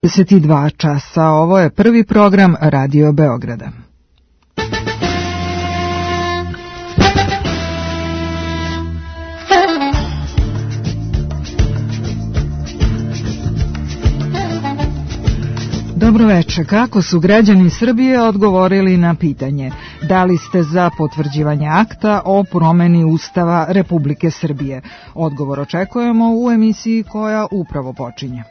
22 časa, ovo je prvi program Radio Beograda. Dobroveče, kako su građani Srbije odgovorili na pitanje da li ste za potvrđivanje akta o promeni Ustava Republike Srbije? Odgovor očekujemo u emisiji koja upravo počinje.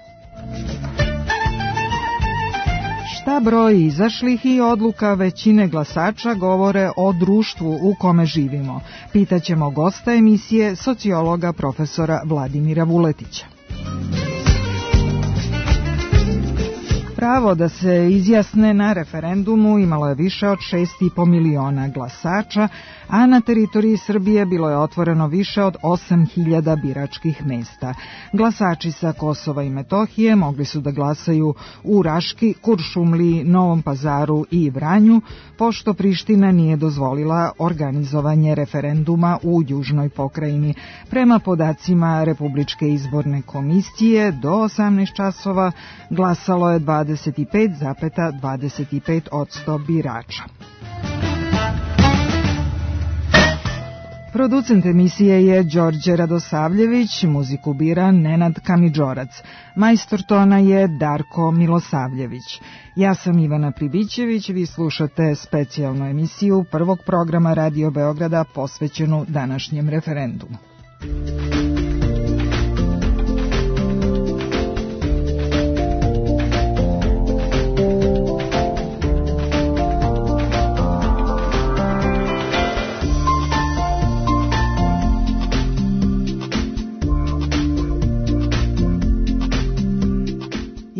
Šta broj izašlih i odluka većine glasača govore o društvu u kome živimo? Pitaćemo gosta emisije, sociologa profesora Vladimira Vuletića. Pravo da se izjasne na referendumu imalo je više od 6,5 miliona glasača, a na teritoriji Srbije bilo je otvoreno više od 8.000 biračkih mesta. Glasači sa Kosova i Metohije mogli su da glasaju u Raški, Kuršumliji, Novom Pazaru i Vranju, pošto Priština nije dozvolila organizovanje referenduma u južnoj pokrajini. Prema podacima Republičke izborne komisije, do 18 časova glasalo je 25,25% birača. Producent emisije je Đorđe Radosavljević, muziku bira Nenad Kamidžorac, majstor tona je Darko Milosavljević. Ja sam Ivana Pribićević, vi slušate specijalnu emisiju prvog programa Radio Beograda posvećenu današnjem referendumu.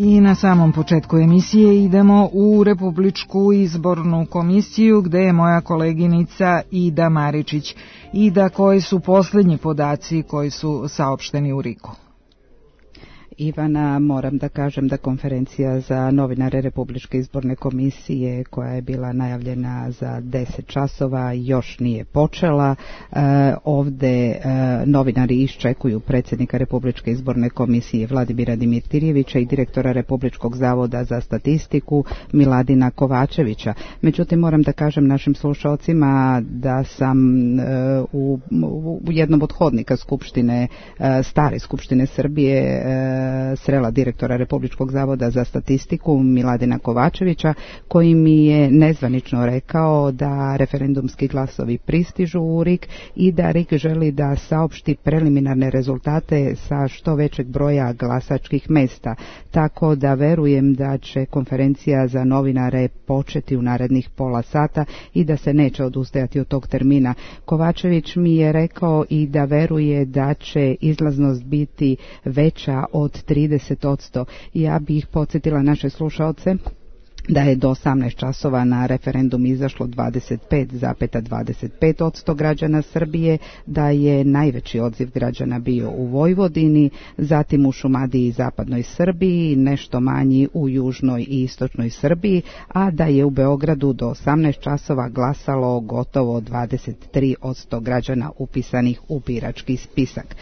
I na samom početku emisije idemo u Republičku izbornu komisiju gde je moja koleginica Ida Maričić. Ida, koji su posljednji podaci koji su saopšteni u RIK-u? Ivana, moram da kažem da konferencija za novinare Republičke izborne komisije koja je bila najavljena za 10 časova još nije počela. Ovde novinari iščekuju predsjednika Republičke izborne komisije Vladimira Dimitrijevića i direktora Republičkog zavoda za statistiku Miladina Kovačevića. Međutim, moram da kažem našim slušalcima da sam u jednom od hodnika Skupštine, stare Skupštine Srbije, srela direktora Republičkog zavoda za statistiku Miladina Kovačevića, koji mi je nezvanično rekao da referendumski glasovi pristižu u RIK i da RIK želi da saopšti preliminarne rezultate sa što većeg broja glasačkih mesta, tako da verujem da će konferencija za novinare početi u narednih pola sata i da se neće odustajati od tog termina. Kovačević mi je rekao i da veruje da će izlaznost biti veća od 30%. Ja bih podsjetila naše slušaoce da je do 18 časova na referendum izašlo 25,25% građana Srbije, da je najveći odziv građana bio u Vojvodini, zatim u Šumadiji i zapadnoj Srbiji, nešto manji u južnoj i istočnoj Srbiji, a da je u Beogradu do 18 časova glasalo gotovo 23% građana upisanih u birački spisak.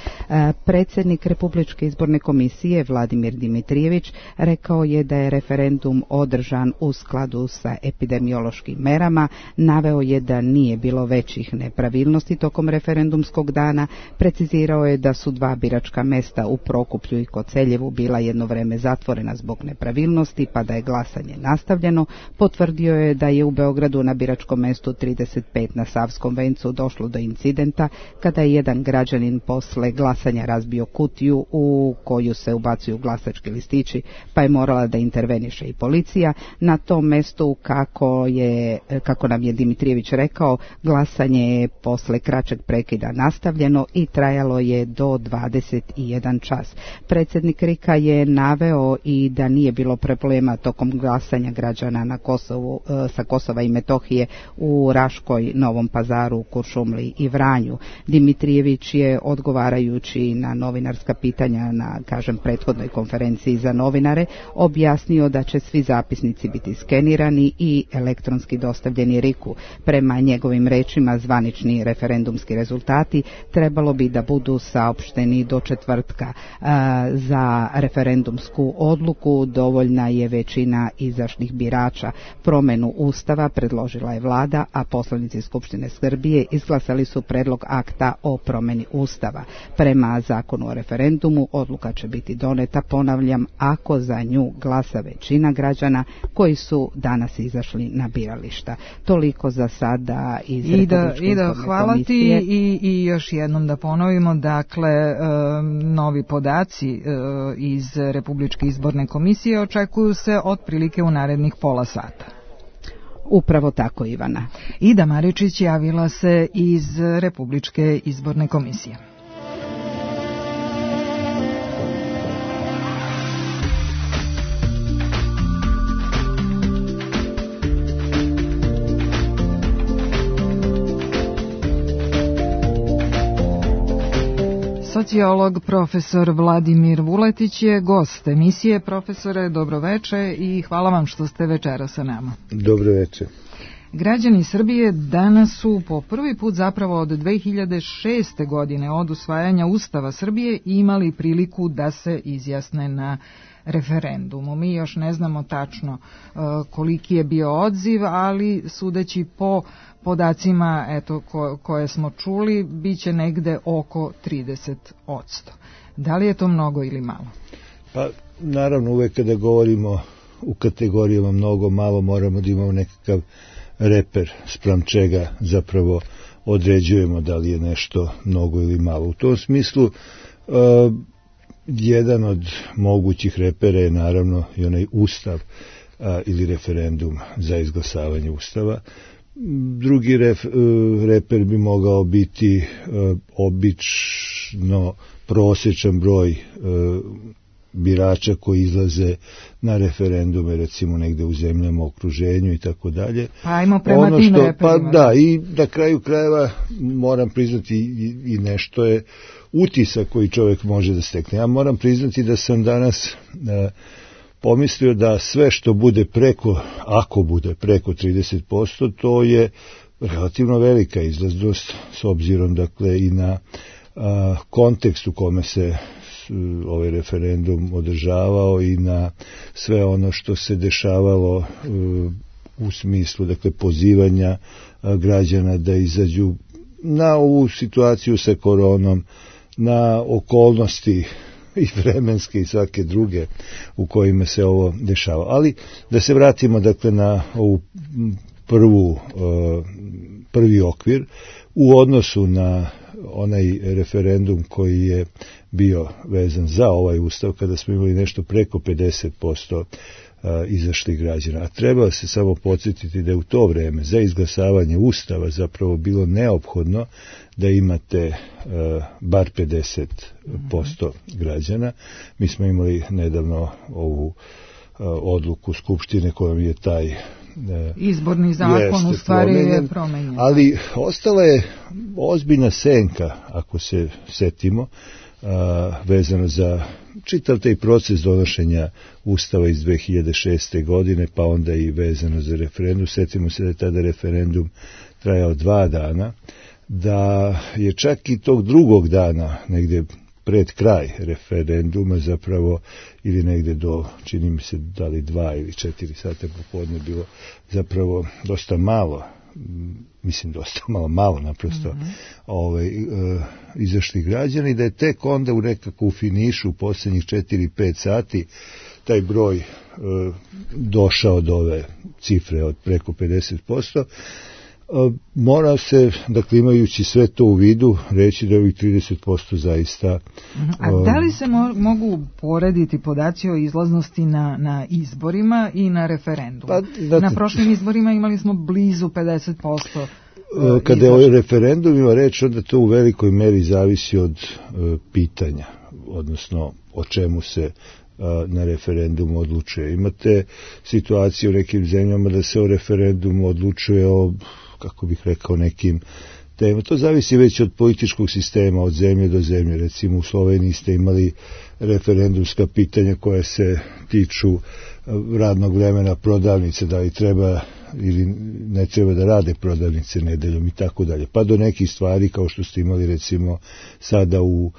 Predsjednik Republičke izborne komisije Vladimir Dimitrijević rekao je da je referendum održan u skladu sa epidemiološkim merama, naveo je da nije bilo većih nepravilnosti tokom referendumskog dana, precizirao je da su 2 biračka mesta u Prokuplju i Koceljevu bila jedno vreme zatvorena zbog nepravilnosti, pa da je glasanje nastavljeno. Potvrdio je da je u Beogradu na biračkom mestu 35 na Savskom vencu došlo do incidenta kada je jedan građanin posle glasanja razbio kutiju u koju se ubacuju glasački listići, pa je morala da interveniše i policija. Na tom mestu, kako nam je Dimitrijević rekao, glasanje je posle kraćeg prekida nastavljeno i trajalo je do 21 čas. Predsjednik RIK-a je naveo i da nije bilo problema tokom glasanja građana na Kosovu, sa Kosova i Metohije u Raškoj, Novom Pazaru, Kuršumliji i Vranju. Dimitrijević je, odgovarajući na novinarska pitanja na, prethodnoj konferenciji za novinare, objasnio da će svi zapisnici potpisi biti skenirani i elektronski dostavljeni RIK-u. Prema njegovim rečima, zvanični referendumski rezultati trebalo bi da budu saopšteni do četvrtka. Za referendumsku odluku dovoljna je većina izašlih birača. Promjenu Ustava predložila je vlada, a poslanici Skupštine Srbije izglasali su predlog akta o promjeni Ustava. Prema zakonu o referendumu odluka će biti doneta, ponavljam, ako za nju glasa većina građana koji su danas izašli na birališta. Toliko za sada iz Republičke izborne hvala komisije. Ti i još jednom da ponovimo, dakle, novi podaci iz Republičke izborne komisije očekuju se otprilike u narednih pola sata. Upravo tako, Ivana. Ida Maričić javila se iz Republičke izborne komisije. Sociolog profesor Vladimir Vuletić je gost emisije. Profesore, dobroveče i hvala vam što ste večeras sa nama. Dobroveče. Građani Srbije danas su po prvi put zapravo od 2006. godine od usvajanja Ustava Srbije imali priliku da se izjasne na referendumu. Mi još ne znamo tačno koliki je bio odziv, ali sudeći po podacima koje smo čuli, bit će negde oko 30%. Da li je to mnogo ili malo? Pa naravno, uvek kada govorimo u kategorijama mnogo, malo, moramo da imamo nekakav reper spram čega zapravo određujemo da li je nešto mnogo ili malo. U tom smislu jedan od mogućih repera je naravno i onaj Ustav ili referendum za izglasavanje Ustava. Drugi reper bi mogao biti obično prosječan broj birača koji izlaze na referendume, recimo negde u zemljama, okruženju i tako dalje. Pa ajmo prema tim reperima. Pa da, i na kraju krajeva moram priznati i nešto je utisak koji čovjek može da stekne. Ja moram priznati da sam danas pomislio da sve što bude preko, ako bude preko 30%, to je relativno velika izlaznost s obzirom dakle i na kontekst u kome se ovaj referendum održavao i na sve ono što se dešavalo u smislu dakle pozivanja građana da izađu na ovu situaciju sa koronom, na okolnosti i vremenske i svake druge u kojima se ovo dešava. Ali da se vratimo dakle na ovu prvi okvir u odnosu na onaj referendum koji je bio vezan za ovaj ustav, kada smo imali nešto preko 50% izašlih građana. A treba se samo podsjetiti da je u to vreme za izglasavanje ustava zapravo bilo neophodno da imate bar 50% građana. Mi smo imali nedavno ovu odluku Skupštine kojom je taj izborni zakon u stvari je promenjen. Ali ostala je ozbiljna senka, ako se setimo, vezano za čitav taj proces donošenja Ustava iz 2006. godine, pa onda i vezano za referendum. Setimo se da je tada referendum trajao 2 dana, da je čak i tog drugog dana, negde pred kraj referenduma zapravo, ili negde do, čini mi se, da li 2 ili 4 sata popodne bilo zapravo dosta malo, mislim dosta malo naprosto izašli građani, da je tek onda u nekako finišu u posljednjih 4-5 sati taj broj došao do ove cifre od preko 50%. Mora se, dakle imajući sve to u vidu, reći da je ovih 30% zaista... A da li se mogu porediti podaci o izlaznosti na izborima i na referendumu? Na prošlim izborima imali smo blizu 50%. Kada je o referendumima reč, onda to u velikoj meri zavisi od pitanja, odnosno o čemu se na referendumu odlučuje. Imate situaciju u nekim zemljama da se o referendumu odlučuje o, kako bih rekao, nekim tema. To zavisi već od političkog sistema, od zemlje do zemlje. Recimo u Sloveniji ste imali referendumska pitanja koja se tiču radnog vremena prodavnice, da li treba ili ne treba da rade prodavnice nedeljom i tako dalje. Pa do nekih stvari kao što ste imali recimo sada u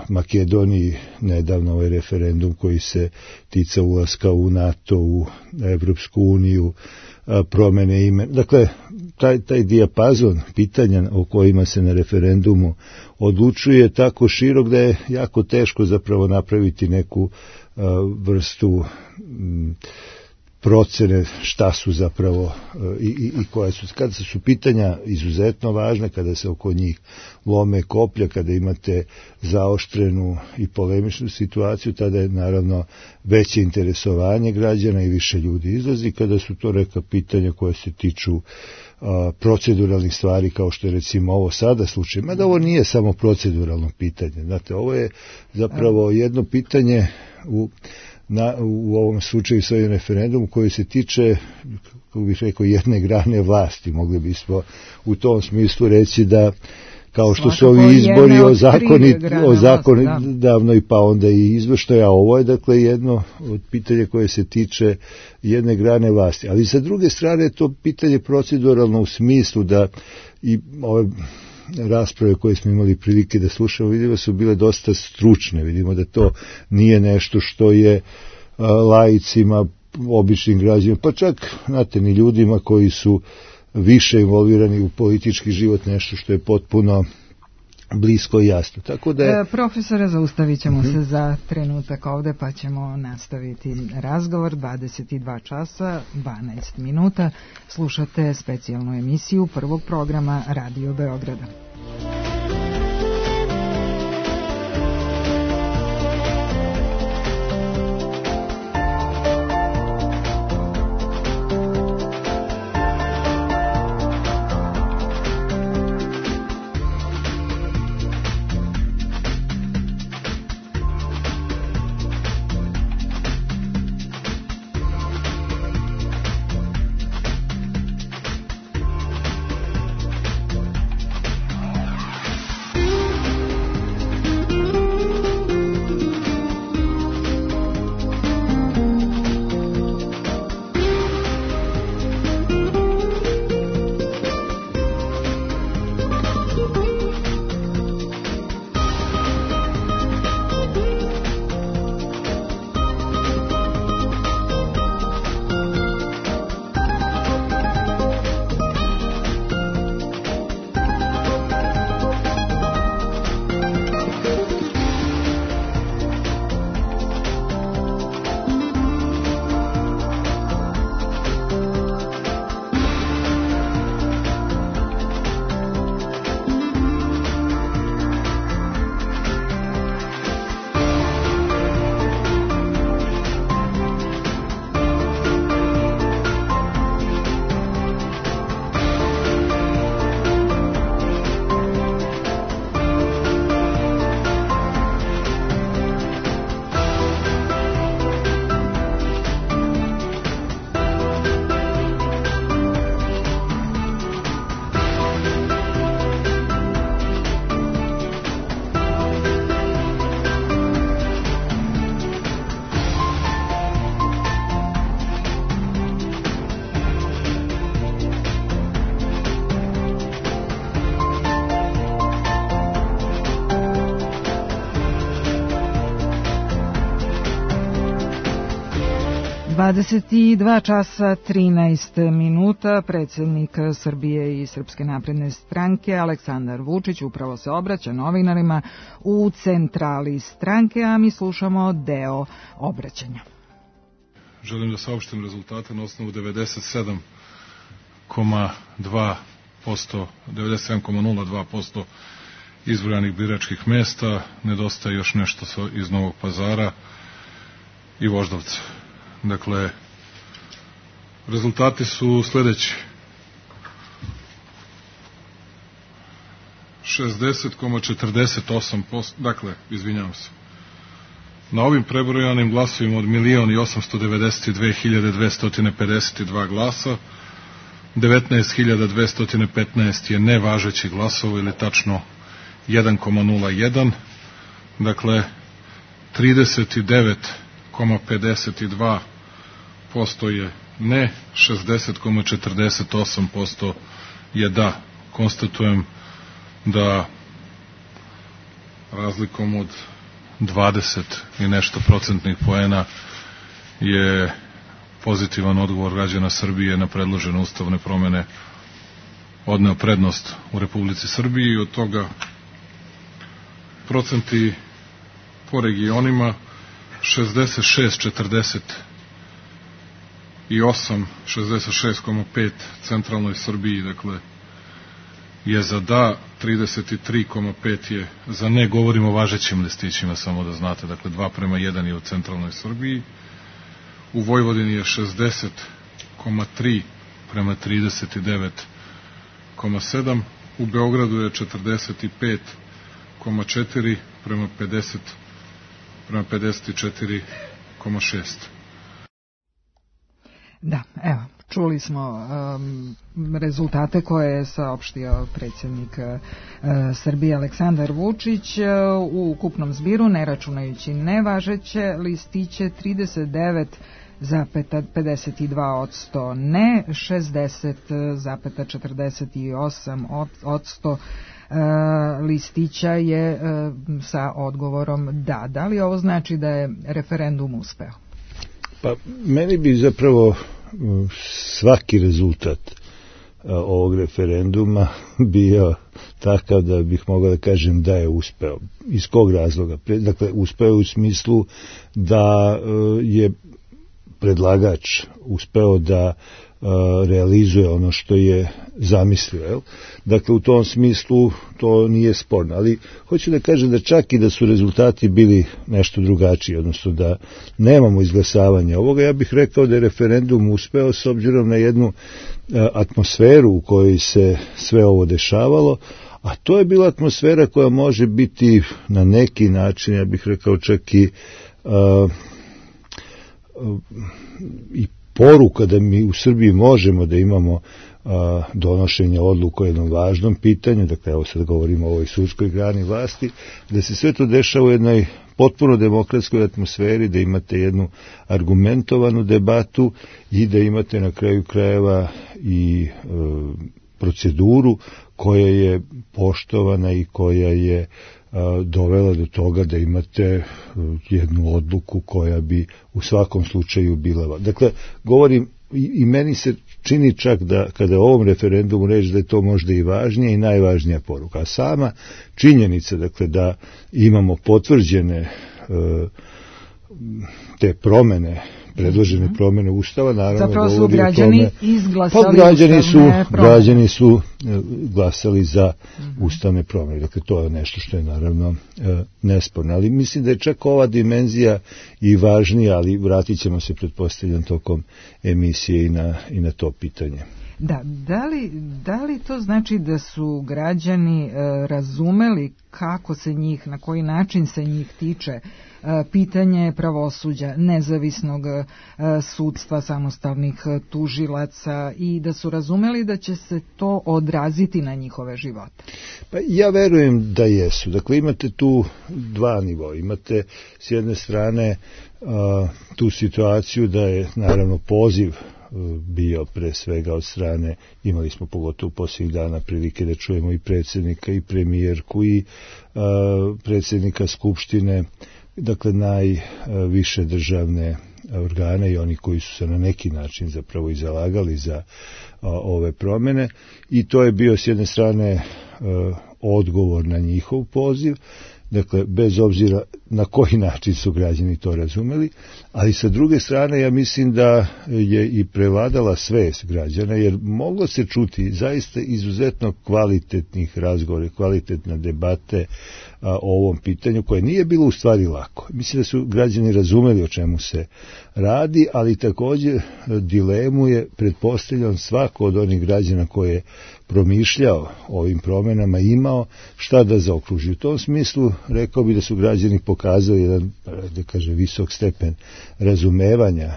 Makedoniji nedavno ovaj referendum koji se tica ulaska u NATO, u Evropsku uniju, promene ime. Dakle, taj dijapazon pitanja o kojima se na referendumu odlučuje tako širok da je jako teško zapravo napraviti neku vrstu procene šta su zapravo i koje su. Kada su pitanja izuzetno važna, kada se oko njih lome koplja, kada imate zaoštrenu i polemičnu situaciju, tada je naravno veće interesovanje građana i više ljudi izlazi. Kada su to neka pitanja koje se tiču proceduralnih stvari, kao što je recimo ovo sada slučaj, mada ovo nije samo proceduralno pitanje. Znate, ovo je zapravo jedno pitanje u ovom slučaju s ovim referendumu koji se tiče, kako bih rekao, jedne grane vlasti. Mogli bismo u tom smislu reći da kao što su ovi izbori o zakonodavnoj pa onda i izvršnoj, a ovo je dakle jedno od pitanja koje se tiče jedne grane vlasti. Ali sa druge strane to pitanje proceduralno u smislu da i ove rasprave koje smo imali prilike da slušamo, vidimo su bile dosta stručne. Vidimo da to nije nešto što je laicima, običnim građanima, pa čak, znate, ni ljudima koji su više involvirani u politički život, nešto što je potpuno blisko i jasno. Tako da je... Profesore, zaustavit ćemo se za trenutak ovde, pa ćemo nastaviti razgovor. 22 časa, 12 minuta. Slušate specijalnu emisiju prvog programa Radio Beograda. Dvadeset dva časa 13 minuta. Predsjednik Srbije i Srpske napredne stranke Aleksandar Vučić upravo se obraća novinarima u centrali stranke, a mi slušamo deo obraćanja. Želim da saopštim rezultate na osnovu 97,02% izbrojanih biračkih mesta. Nedostaje još nešto iz Novog Pazara i Voždovca. Dakle, rezultati su sledeći. 60,48%, dakle, izvinjavam se. Na ovim prebrojanim glasovima od 1.892.252 glasa 19.215 je nevažeći glasova ili tačno 1,01, dakle 39,52% je ne, 60,48% je da. Konstatujem da razlikom od 20 i nešto procentnih poena je pozitivan odgovor građana Srbije na predložene ustavne promene odneo prednost u Republici Srbiji i od toga procenti po regionima 66,48, 66,5 centralnoj Srbiji, dakle je za da, 33,5 je za ne, govorimo o važećim listićima, samo da znate, dakle 2:1 je u centralnoj Srbiji, u Vojvodini je 60,3 prema 39,7, u Beogradu je 45,4 prema 54,6. Da, evo, čuli smo rezultate koje je saopštio predsjednik Srbije Aleksandar Vučić u ukupnom zbiru, ne računajući nevažeće listiće, 39,52% ne, 60,48% listića je sa odgovorom da. Da li ovo znači da je referendum uspeo? Pa meni bi zapravo svaki rezultat ovog referenduma bio takav da bih mogao da kažem da je uspeo. Iz kog razloga? Dakle, uspeo u smislu da je predlagač uspeo da realizuje ono što je zamislio. Dakle, u tom smislu to nije sporno. Ali hoću da kažem da čak i da su rezultati bili nešto drugačiji, odnosno da nemamo izglasavanje ovoga, ja bih rekao da je referendum uspeo s obzirom na jednu atmosferu u kojoj se sve ovo dešavalo, a to je bila atmosfera koja može biti na neki način, ja bih rekao čak i poruka da mi u Srbiji možemo da imamo donošenje odluka o jednom važnom pitanju, dakle evo sad govorimo o ovoj sudskoj grani vlasti, da se sve to dešava u jednoj potpuno demokratskoj atmosferi, da imate jednu argumentovanu debatu i da imate na kraju krajeva i proceduru koja je poštovana i koja je dovela do toga da imate jednu odluku koja bi u svakom slučaju bila. Dakle, govorim i meni se čini čak da kada o ovom referendumu reći da je to možda i važnija i najvažnija poruka. A sama činjenica, dakle, da imamo potvrđene te promene, predložene promene Ustava, naravno zapravo su građani izglasali građani su glasali za ustavne promene. Dakle, to je nešto što je naravno nesporno. Ali mislim da je čak ova dimenzija i važnija, ali vratit ćemo se, pretpostavljam, tokom emisije i na to pitanje. Da, da li to znači da su građani razumeli kako se njih, na koji način se njih tiče pitanje pravosuđa, nezavisnog sudstva, samostalnih tužilaca i da su razumeli da će se to odraziti na njihove živote? Pa ja verujem da jesu. Dakle, imate tu dva nivoa. Imate s jedne strane tu situaciju da je naravno poziv bio pre svega od strane, imali smo pogotovo posljednjih dana prilike da čujemo i predsjednika i premijerku i predsjednika Skupštine, dakle najviše državne organe i oni koji su se na neki način zapravo i zalagali za ove promjene, i to je bio s jedne strane odgovor na njihov poziv. Dakle, bez obzira na koji način su građani to razumeli, ali sa druge strane ja mislim da je i prevladala svest građana, jer moglo se čuti zaista izuzetno kvalitetnih razgovora, kvalitetne debate o ovom pitanju, koje nije bilo u stvari lako. Mislim da su građani razumeli o čemu se radi, ali također dilemu je, pretpostavljam, svako od onih građana koje je promišljao o ovim promjenama imao šta da zaokruži. U tom smislu rekao bi da su građani pokazali jedan, da kažem, visok stepen razumevanja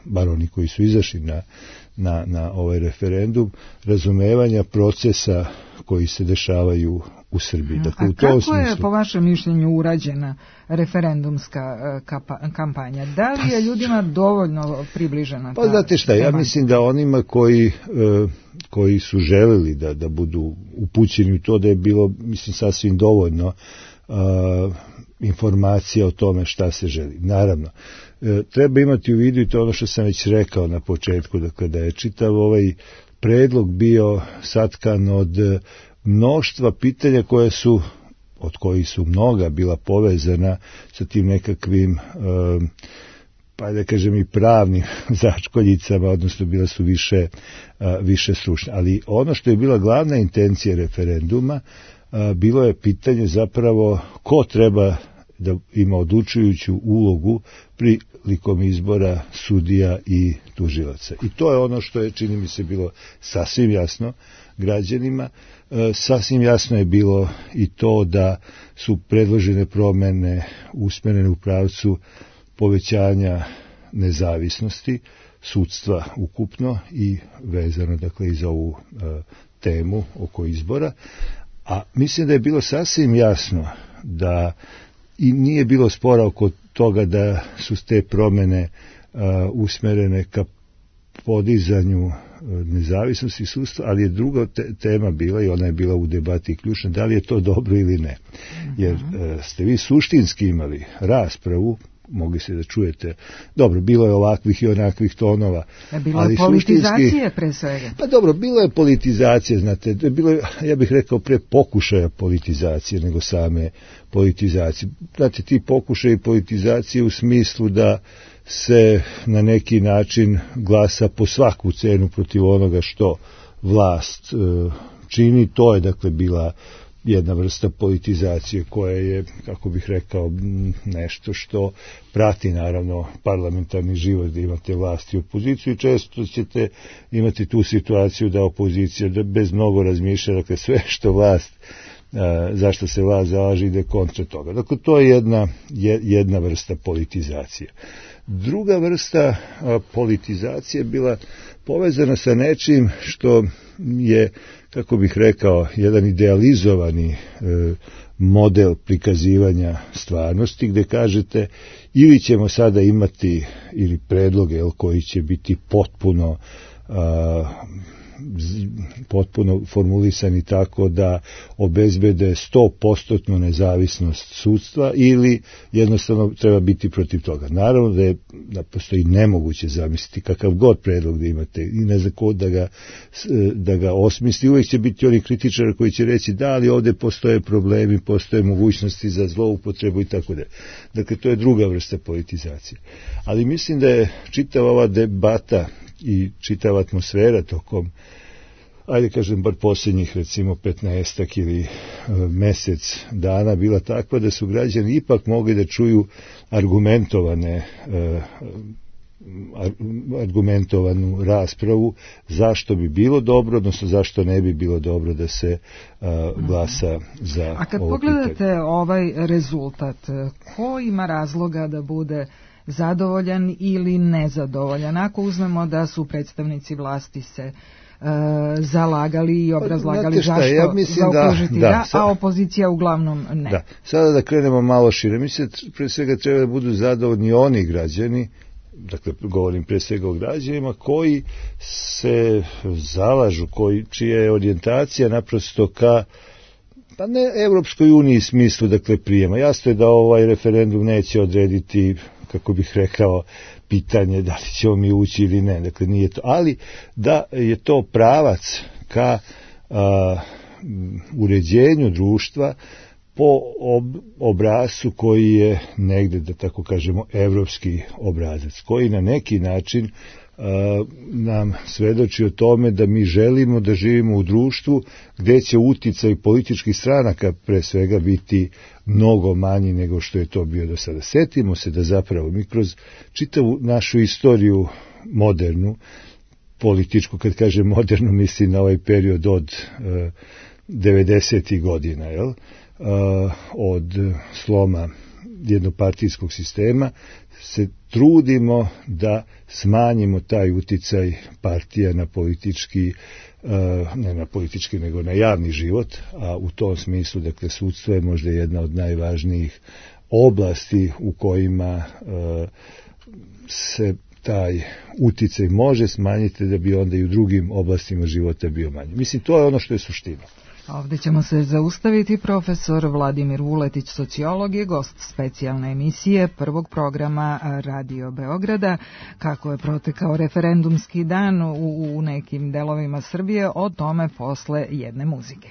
bar oni koji su izašli na ovaj referendum, razumevanja procesa koji se dešavaju u Srbiji. Dakle, a kako je po vašem mišljenju urađena referendumska kampanja? Da li je ljudima dovoljno približena? Pa znate šta, ja mislim da onima koji su želeli da budu upućeni u to, da je bilo, mislim, sasvim dovoljno informacija o tome šta se želi. Naravno, treba imati u vidu, i to ono što sam već rekao na početku, dakle, da je čitav ovaj predlog bio satkan od mnoštva pitanja od kojih su mnoga bila povezana sa tim nekakvim pa da kažem i pravnim začkoljicama, odnosno bila su više stručne. Ali ono što je bila glavna intencija referenduma, bilo je pitanje zapravo ko treba da ima odlučujuću ulogu prilikom izbora sudija i tužilaca. I to je ono što je, čini mi se, bilo sasvim jasno građanima. Sasvim jasno je bilo i to da su predložene promene usmerene u pravcu povećanja nezavisnosti sudstva ukupno i vezano, dakle, i za ovu temu oko izbora. A mislim da je bilo sasvim jasno da i nije bilo spora oko toga da su te promene usmerene ka podizanju nezavisnosti sudstva, ali je druga tema bila, i ona je bila u debati ključna, da li je to dobro ili ne. Jer ste vi suštinski imali raspravu, mogli ste da čujete, dobro, bilo je ovakvih i onakvih tonova. Bilo je politizacije pre svega. Pa dobro, bilo je politizacije, znate, bilo je, ja bih rekao, pre pokušaja politizacije nego same politizacije. Znate, ti pokušaji politizacije u smislu da se na neki način glasa po svaku cenu protiv onoga što vlast čini, to je, dakle, bila jedna vrsta politizacije koja je, kako bih rekao, nešto što prati naravno parlamentarni život, da imate vlast i opoziciju, i često ćete imati tu situaciju da opozicija bez mnogo razmišlja, dakle, sve što vlast, zašto se vlast zalaže, ide kontra toga. Dakle, to je jedna vrsta politizacije. Druga vrsta politizacije bila povezana sa nečim što je, kako bih rekao, jedan idealizovani model prikazivanja stvarnosti, gde kažete ili ćemo sada imati ili predloge koji će biti potpuno formulisani tako da obezbede 100% nezavisnost sudstva, ili jednostavno treba biti protiv toga. Naravno da je naprosto i nemoguće zamisliti kakav god predlog da imate i ne znam ko da ga osmisli. Uvijek će biti oni kritičari koji će reći da, ali ovdje postoje problemi, postoje mogućnosti za zloupotrebu i tako da. Dakle, to je druga vrsta politizacije. Ali mislim da je čitava ova debata i čitava atmosfera tokom, ajde kažem, bar posljednjih recimo 15 ili mesec dana bila takva da su građani ipak mogli da čuju argumentovanu raspravu zašto bi bilo dobro, odnosno zašto ne bi bilo dobro da se glasa za ovo pitanje. A kad pogledate ovaj rezultat, ko ima razloga da bude zadovoljan ili nezadovoljan? Ako uzmemo da su predstavnici vlasti se zalagali i obrazlagali zašto zaokružiti a opozicija uglavnom ne. Da. Sada da krenemo malo šire. Mislim, pre svega treba da budu zadovoljni oni građani, dakle govorim pre svega o građanima koji se zalažu, čija je orijentacija naprosto ka, pa ne Evropskoj uniji smislu, dakle, prijema. Jasno je da ovaj referendum neće odrediti, kako bih rekao, pitanje da li ćemo mi ući ili ne, dakle nije to, ali da je to pravac ka uređenju društva po obrascu koji je negde, da tako kažemo, evropski obrazac, koji na neki način nam svedoči o tome da mi želimo da živimo u društvu gde će uticaj političkih stranaka pre svega biti mnogo manji nego što je to bio do sada. Setimo se da zapravo mi kroz čitavu našu istoriju modernu, političku, kad kažem modernu, mislim na ovaj period od 90. godina, od sloma jednopartijskog sistema se trudimo da smanjimo taj uticaj partija na politički, ne na politički nego na javni život, a u tom smislu, dakle, sudstvo je možda jedna od najvažnijih oblasti u kojima se taj uticaj može smanjiti da bi onda i u drugim oblastima života bio manji. Mislim, to je ono što je suština. Ovdje ćemo se zaustaviti. Profesor Vladimir Vuletić, sociolog, je gost specijalne emisije prvog programa Radio Beograda. Kako je protekao referendumski dan u nekim delovima Srbije, o tome posle jedne muzike.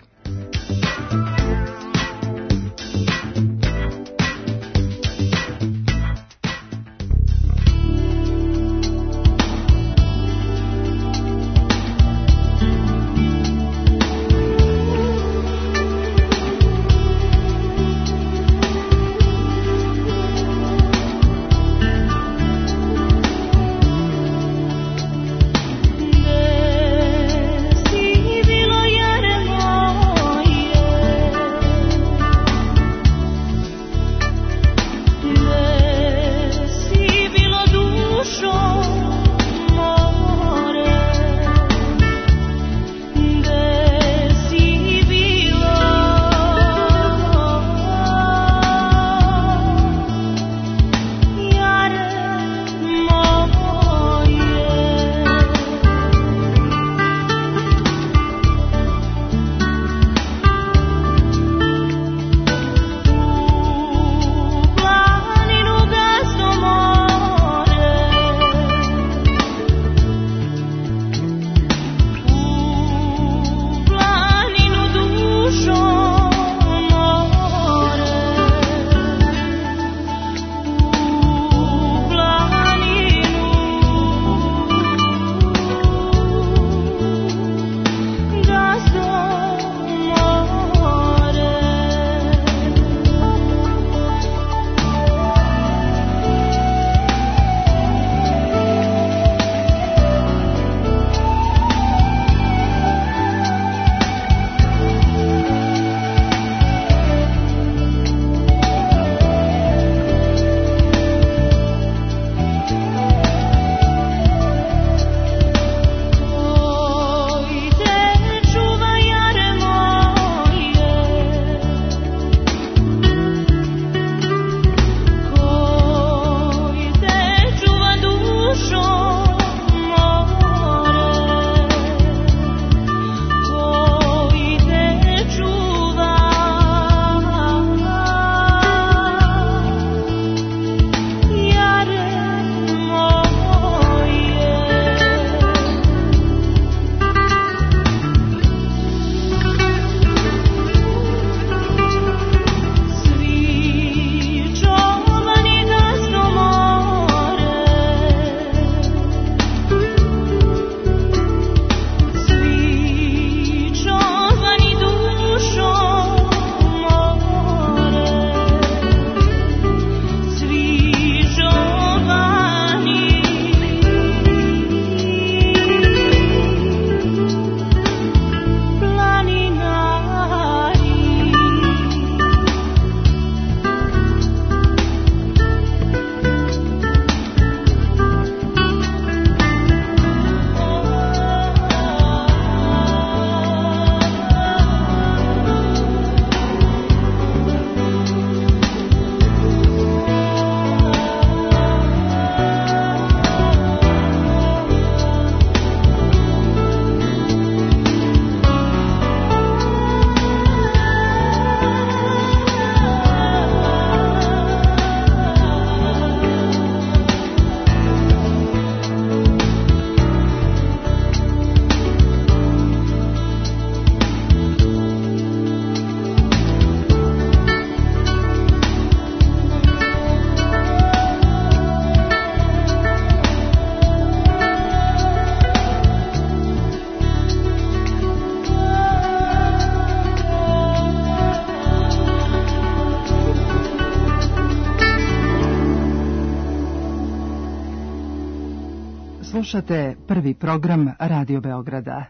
Slušate prvi program Radio Beograda.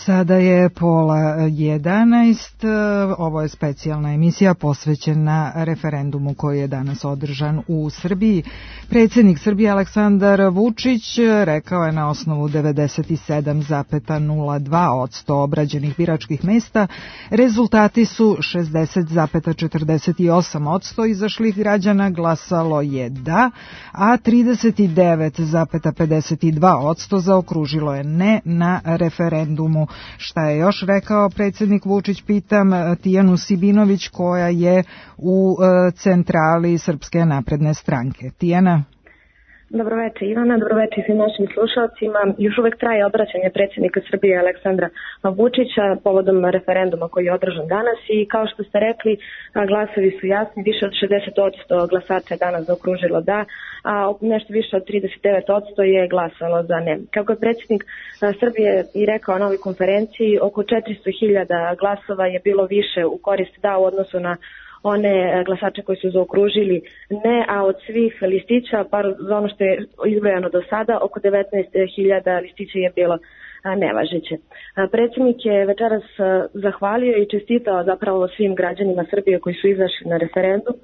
Sada je 10:11. Ovo je specijalna emisija posvećena referendumu koji je danas održan u Srbiji. Predsjednik Srbije Aleksandar Vučić rekao je na osnovu 97,02% obrađenih biračkih mesta rezultati su 60,48% izašlih građana glasalo je da, a 39,52% zaokružilo je ne na referendumu. Šta je još rekao predsjednik Vučić, pitam Tijanu Sibinović koja je u centrali Srpske napredne stranke. Tijana? Dobroveče Ivana, dobroveče svim našim slušalcima. Još uvek traje obraćanje predsjednika Srbije Aleksandra Vučića povodom referenduma koji je održan danas i kao što ste rekli, glasovi su jasni, više od 60% glasača je danas zaokružilo da, a nešto više od 39% je glasalo za ne. Kako je predsjednik Srbije i rekao na ovoj konferenciji, oko 400.000 glasova je bilo više u korist da u odnosu na one glasače koji su zaokružili ne, a od svih listića, par za ono što je izbrojano do sada, oko 19.000 listića je bilo nevažeće. Predsjednik je večeras zahvalio i čestitao zapravo svim građanima Srbije koji su izašli na referendum,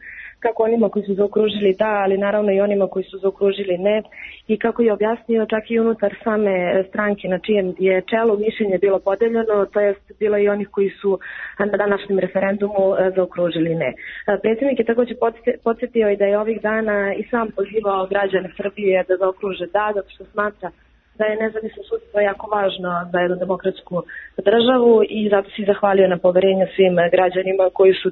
kako onima koji su zaokružili da, ali naravno i onima koji su zaokružili ne, i kako je objasnio čak i unutar same stranke na čijem je čelu mišljenje bilo podeljeno, to jest bilo i onih koji su na današnjem referendumu zaokružili ne. Predsjednik je također podsjetio i da je ovih dana i sam pozivao građane Srbije da zaokruže da, zato što smatra da je nezavisno sudstvo jako važno za jednu demokratsku državu i zato se zahvalio na poverenju svim građanima koji su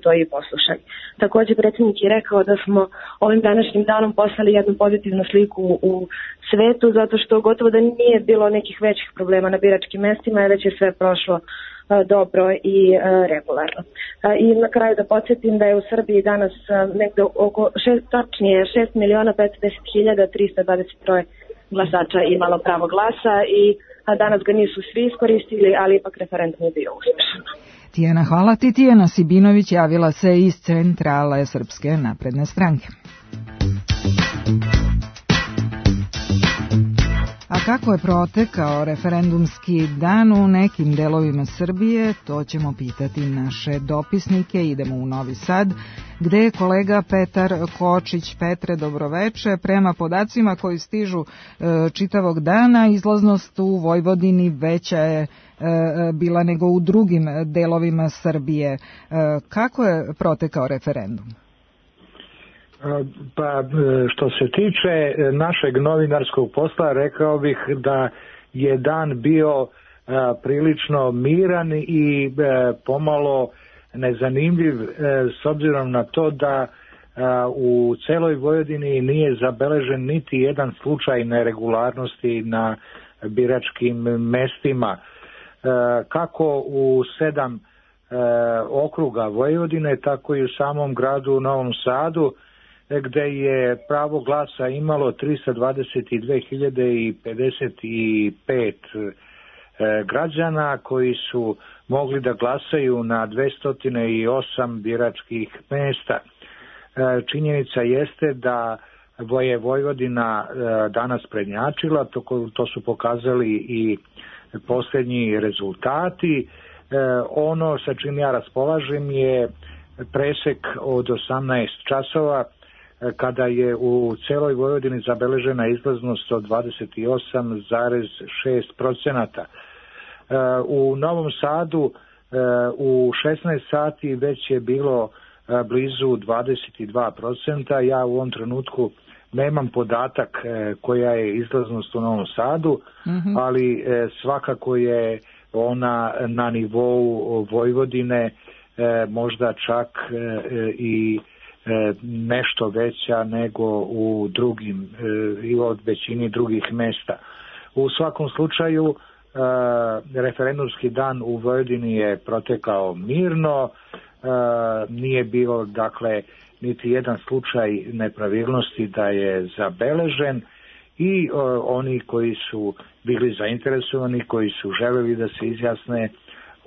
to i poslušali. Također predsjednik je rekao da smo ovim današnjim danom poslali jednu pozitivnu sliku u svetu, zato što gotovo da nije bilo nekih većih problema na biračkim mestima, već je sve prošlo dobro i regularno. I na kraju da podsjetim da je u Srbiji danas negde oko 6.510.323 glasača imalo pravo glasa i danas ga nisu svi iskoristili, ali ipak referendum je bio uspješan. Tijana, hvala ti. Tijana Sibinović javila se iz centrale Srpske napredne stranke. A kako je protekao referendumski dan u nekim delovima Srbije, to ćemo pitati naše dopisnike. Idemo u Novi Sad, gde je kolega Petar Kočić. Petre, dobroveče. Prema podacima koji stižu čitavog dana, izlaznost u Vojvodini veća je bila nego u drugim delovima Srbije. Kako je protekao referendum? Pa što se tiče našeg novinarskog posla, rekao bih da je dan bio prilično miran i pomalo nezanimljiv s obzirom na to da u celoj Vojvodini nije zabeležen niti jedan slučaj neregularnosti na biračkim mestima. Kako u 7 okruga Vojvodine, tako i u samom gradu Novom Sadu, gde je pravo glasa imalo 322.055 građana koji su mogli da glasaju na 208 biračkih mesta. Činjenica jeste da je Vojvodina danas prednjačila, to su pokazali i posljednji rezultati. Ono sa čim ja raspolažem je presek od 18 časova, kada je u celoj Vojvodini zabeležena izlaznost od 28,6%. U Novom Sadu u 16 sati već je bilo blizu 22%. Ja u ovom trenutku nemam podatak koja je izlaznost u Novom Sadu, ali svakako je ona na nivou Vojvodine, možda čak i nešto veća nego u drugim i od većini drugih mesta. U svakom slučaju referendumski dan u Vojvodini je protekao mirno, nije bilo dakle niti jedan slučaj nepravilnosti da je zabeležen i oni koji su bili zainteresovani, koji su želeli da se izjasne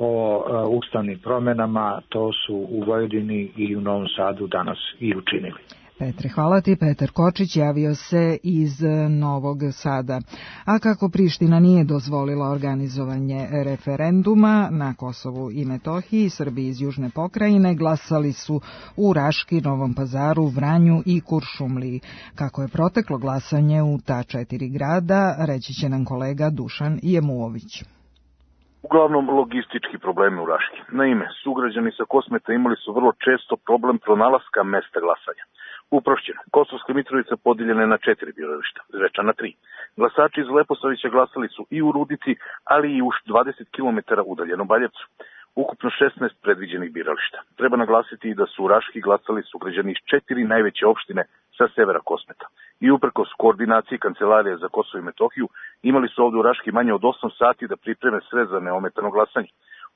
o ustavnim promjenama, to su u Vojvodini i u Novom Sadu danas i učinili. Petre, hvala ti. Petar Kočić javio se iz Novog Sada. A kako Priština nije dozvolila organizovanje referenduma na Kosovu i Metohiji, Srbi iz Južne pokrajine glasali su u Raški, Novom Pazaru, Vranju i Kuršumliji. Kako je proteklo glasanje u ta 4 grada, reći će nam kolega Dušan Jemuović. Uglavnom logistički problemi u Raški. Naime, sugrađani sa Kosmeta imali su vrlo često problem pronalaska mesta glasanja. Uprošćeno, Kosovska Mitrovica podijeljena je na 4 birališta, Zvečan na 3. Glasači iz Leposavića glasali su i u Rudici, ali i u 20 km udaljenom Baljevcu. Ukupno 16 predviđenih birališta. Treba naglasiti i da su u Raški glasali sugrađani iz 4 najveće opštine sa severa Kosmeta. I uprkos koordinaciji Kancelarije za Kosovo i Metohiju, imali su ovde u Raški manje od 8 sati da pripreme sve za neometano glasanje.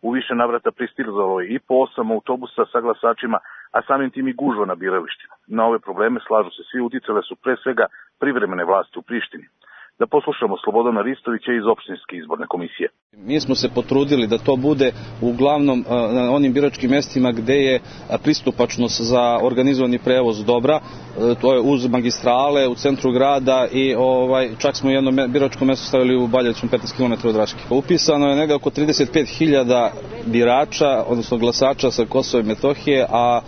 U više navrata pristizalo je i po 8 autobusa sa glasačima, a samim tim i gužva na biralištima. Na ove probleme, slažu se svi, uticale su pre svega privremene vlasti u Prištini. Da poslušamo Slobodana Ristovića iz Opštinske izborne komisije. Mi smo se potrudili da to bude uglavnom na onim biračkim mestima gde je pristupačnost za organizovani prevoz dobra, to je uz magistrale, u centru grada i čak smo jedno biračko mesto stavili u Baljevcu 15 km od Raške. Upisano je negde oko 35.000 birača, odnosno glasača sa Kosova i Metohije, a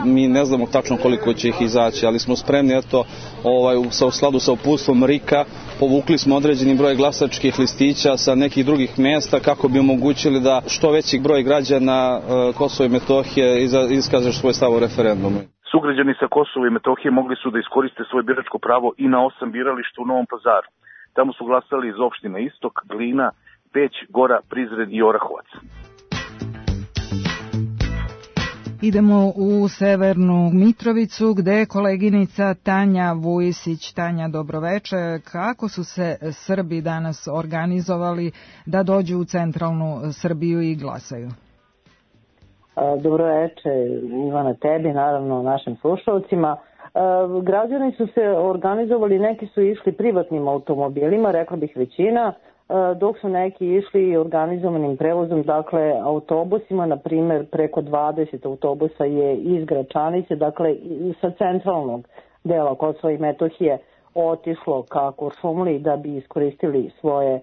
mi ne znamo tačno koliko će ih izaći, ali smo spremni, u skladu sa uputstvom RIK-a, povukli smo određeni broj glasačkih listića sa nekih drugih mjesta kako bi omogućili da što veći broj građana Kosova i Metohije iskaže svoj stav o referendumu. Sugrađani sa Kosova i Metohije mogli su da iskoriste svoje biračko pravo i na 8 birališta u Novom Pazaru. Tamo su glasali iz opština Istok, Glina, Peć, Gora, Prizren i Orahovac. Idemo u Severnu Mitrovicu gde je koleginica Tanja Vujisić. Tanja, dobroveče. Kako su se Srbi danas organizovali da dođu u centralnu Srbiju i glasaju? Dobroveče, Ivana, tebi, naravno našim slušalcima. Građani su se organizovali, neki su išli privatnim automobilima, rekla bih većina, dok su neki išli organizovanim prevozom, dakle autobusima, na primer preko 20 autobusa je iz Gračanice, dakle sa centralnog dela Kosova i Metohije otišlo ka Kuršumliji da bi iskoristili svoje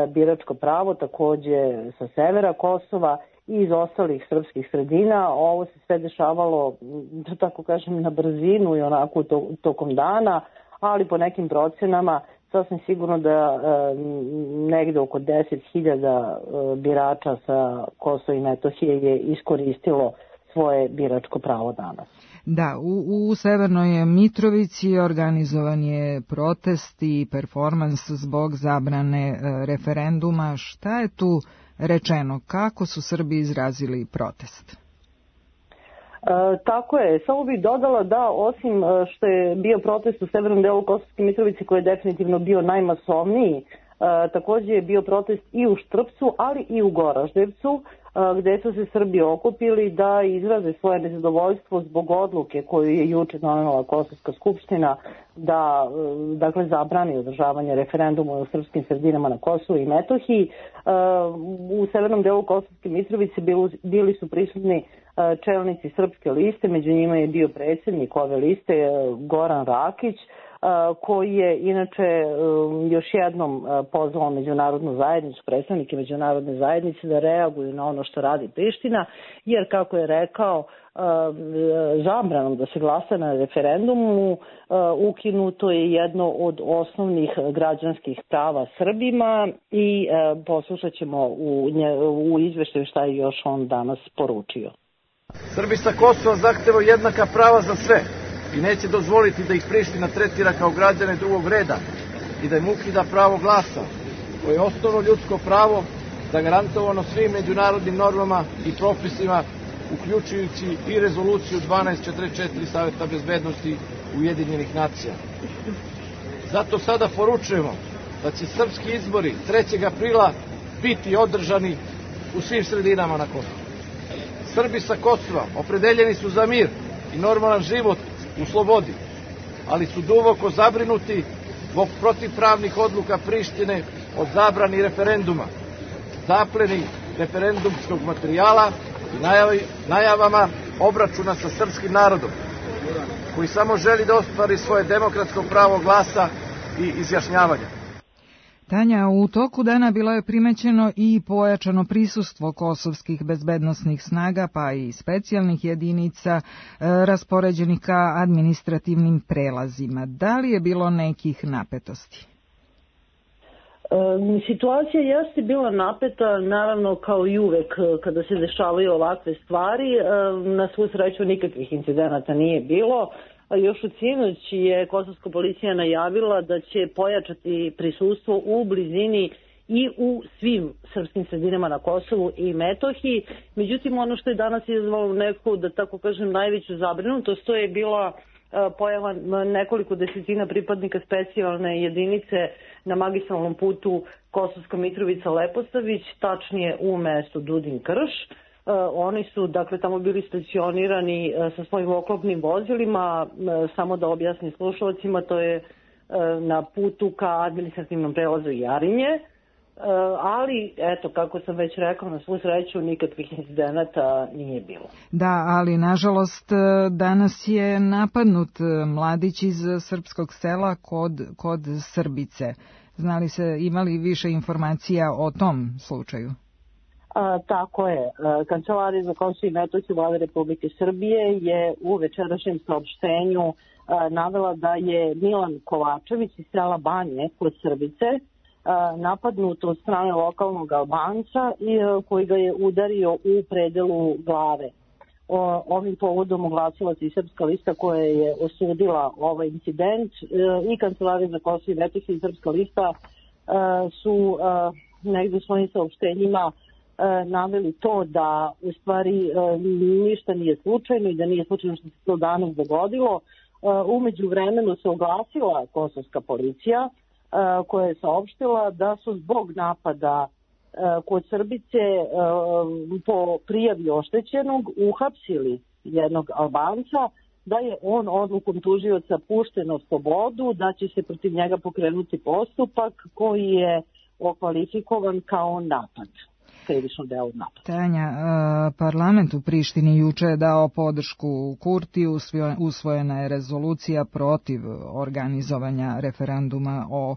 biračko pravo, takođe sa severa Kosova i iz ostalih srpskih sredina. Ovo se sve dešavalo, da tako kažem, na brzinu i onako tokom dana, ali po nekim procenama sasvim sigurno da negde oko 10.000 birača sa Kosova i Metohije je iskoristilo svoje biračko pravo danas. Da, u Severnoj Mitrovici organizovan je protest i performans zbog zabrane referenduma. Šta je tu rečeno? Kako su Srbi izrazili protest? Tako je, samo bih dodala da osim što je bio protest u severnom delu Kosovske Mitrovice koji je definitivno bio najmasovniji, takođe je bio protest i u Štrpcu, ali i u Goraždevcu, gde su se Srbi okupili da izraze svoje nezadovoljstvo zbog odluke koju je juče donela Kosovska skupština da dakle zabrani održavanje referenduma u srpskim sredinama na Kosovu i Metohiji. U severnom delu Kosovske Mitrovice bili su prisutni čelnici srpske liste, među njima je bio predsjednik ove liste Goran Rakić, koji je inače još jednom pozvao međunarodnu zajednicu, predstavnike međunarodne zajednice da reaguju na ono što radi Priština, jer kako je rekao, zabranom da se glasa na referendumu ukinuto je jedno od osnovnih građanskih prava Srbima i poslušat ćemo u izveštaju šta je još on danas poručio. Srbi sa Kosova zahtevaju jednaka prava za sve i neće dozvoliti da ih Priština tretira kao građane drugog reda i da im ukida pravo glasa, koje je osnovno ljudsko pravo zagarantovano svim međunarodnim normama i propisima, uključujući i rezoluciju 1244 Saveta bezbednosti Ujedinjenih nacija. Zato sada poručujemo da će srpski izbori 3. aprila biti održani u svim sredinama na Kosovu. Srbi sa Kosova opredeljeni su za mir i normalan život u slobodi, ali su duboko zabrinuti zbog protivpravnih odluka Prištine o zabrani referenduma, zapleni referendumskog materijala i najavama obračuna sa srpskim narodom. koji samo želi da ostvari svoje demokratsko pravo glasa i izjašnjavanja. Tanja, u toku dana bilo je primećeno i pojačano prisustvo kosovskih bezbednosnih snaga, pa i specijalnih jedinica raspoređenih ka administrativnim prelazima. Da li je bilo nekih napetosti? Situacija jeste bila napeta, naravno kao i uvek kada se dešavaju ovakve stvari. Na svu sreću nikakvih incidenata nije bilo. Još u sinoć je kosovska policija najavila da će pojačati prisustvo u blizini i u svim srpskim sredinama na Kosovu i Metohiji. Međutim, ono što je danas izazvalo neku, da tako kažem, najveću zabrinutost, to je bila pojava nekoliko desetina pripadnika specijalne jedinice na magistralnom putu Kosovska Mitrovica-Leposavić, tačnije u mestu Dudin-Krš. Oni su, dakle, tamo bili stacionirani sa svojim oklopnim vozilima, samo da objasnim slušalcima, to je na putu ka administrativnom prelazu Jarinje, ali, eto, kako sam već rekao, na svu sreću nikakvih incidenata nije bilo. Da, ali, nažalost, danas je napadnut mladić iz srpskog sela kod Srbice. Znali se, imali više informacija o tom slučaju? Tako je. Kancelarija za Kosovo i Metohiju Vlade Republike Srbije je u večerašnjem saopštenju navela da je Milan Kovačević iz sela Banje kod Srbice napadnut od strane lokalnog Albanca koji ga je udario u predelu glave. Ovim povodom oglasila se i Srpska lista koja je osudila ovaj incident i Kancelarija za Kosovo i Metohiju i Srpska lista su negde u svojim saopštenjima naveli to da u stvari ništa nije slučajno i da nije slučajno što se to danas dogodilo. Umeđu vremenu se oglasila kosovska policija koja je saopštila da su zbog napada kod Srbice po prijavi oštećenog uhapsili jednog Albanca, da je on odlukom tužioca pušten na slobodu, da će se protiv njega pokrenuti postupak koji je okvalifikovan kao napad. Tanja, parlament u Prištini juče je dao podršku Kurtiju, usvojena je rezolucija protiv organizovanja referenduma o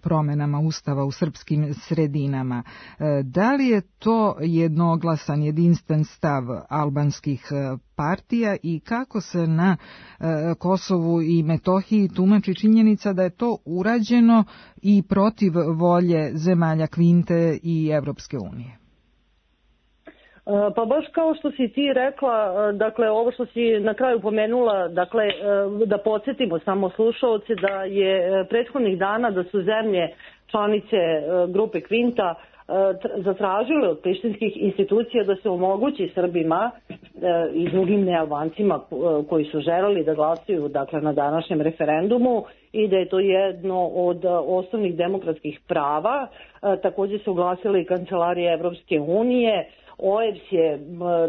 promenama ustava u srpskim sredinama. Da li je to jednoglasan, jedinstven stav albanskih partija i kako se na Kosovu i Metohiji tumači činjenica da je to urađeno i protiv volje zemalja Kvinte i Evropske unije? Pa baš kao što si ti rekla, dakle ovo što si na kraju pomenula, dakle da podsjetimo samo slušaoce da je prethodnih dana da su zemlje članice grupe Kvinta zatražile od prištinskih institucija da se omogući Srbima i drugim nealbancima koji su želeli da glasaju, dakle, na današnjem referendumu i da je to jedno od osnovnih demokratskih prava. Također se oglasila i Kancelarija Evropske unije. OEBS je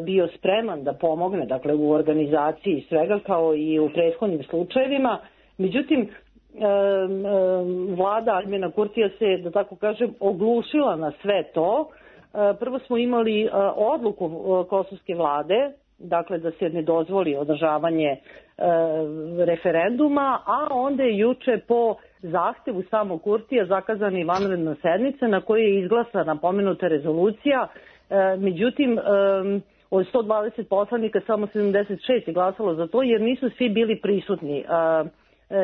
bio spreman da pomogne, dakle, u organizaciji svega kao i u prethodnim slučajevima. Međutim, vlada Aljbina Kurtija se, da tako kažem, oglušila na sve to. Prvo smo imali odluku kosovske vlade, dakle da se ne dozvoli održavanje referenduma, a onda je juče po zahtevu samog Kurtija zakazana i vanredna sednica na kojoj je izglasana pomenuta rezolucija. Međutim, od 120 poslanika samo 76 je glasalo za to jer nisu svi bili prisutni.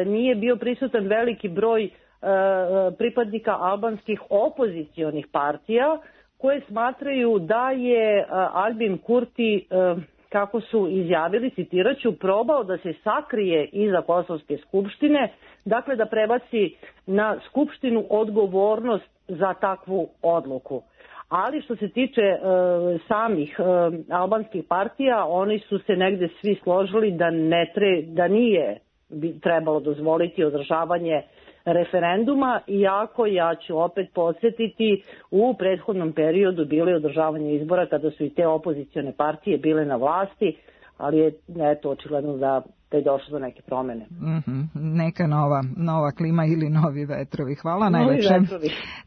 Nije bio prisutan veliki broj pripadnika albanskih opozicionih partija koje smatraju da je Aljbin Kurti, kako su izjavili, citiraću, probao da se sakrije iza Kosovske skupštine, dakle da prebaci na skupštinu odgovornost za takvu odluku. Ali što se tiče samih albanskih partija, oni su se negde svi složili da nije trebalo dozvoliti održavanje referenduma, iako, ja ću opet podsjetiti, u prethodnom periodu bilo je održavanje izbora kada su i te opozicione partije bile na vlasti, ali je eto očigledno da da je došlo do neke promene. Neka nova klima ili novi vetrovi. Hvala najlepše.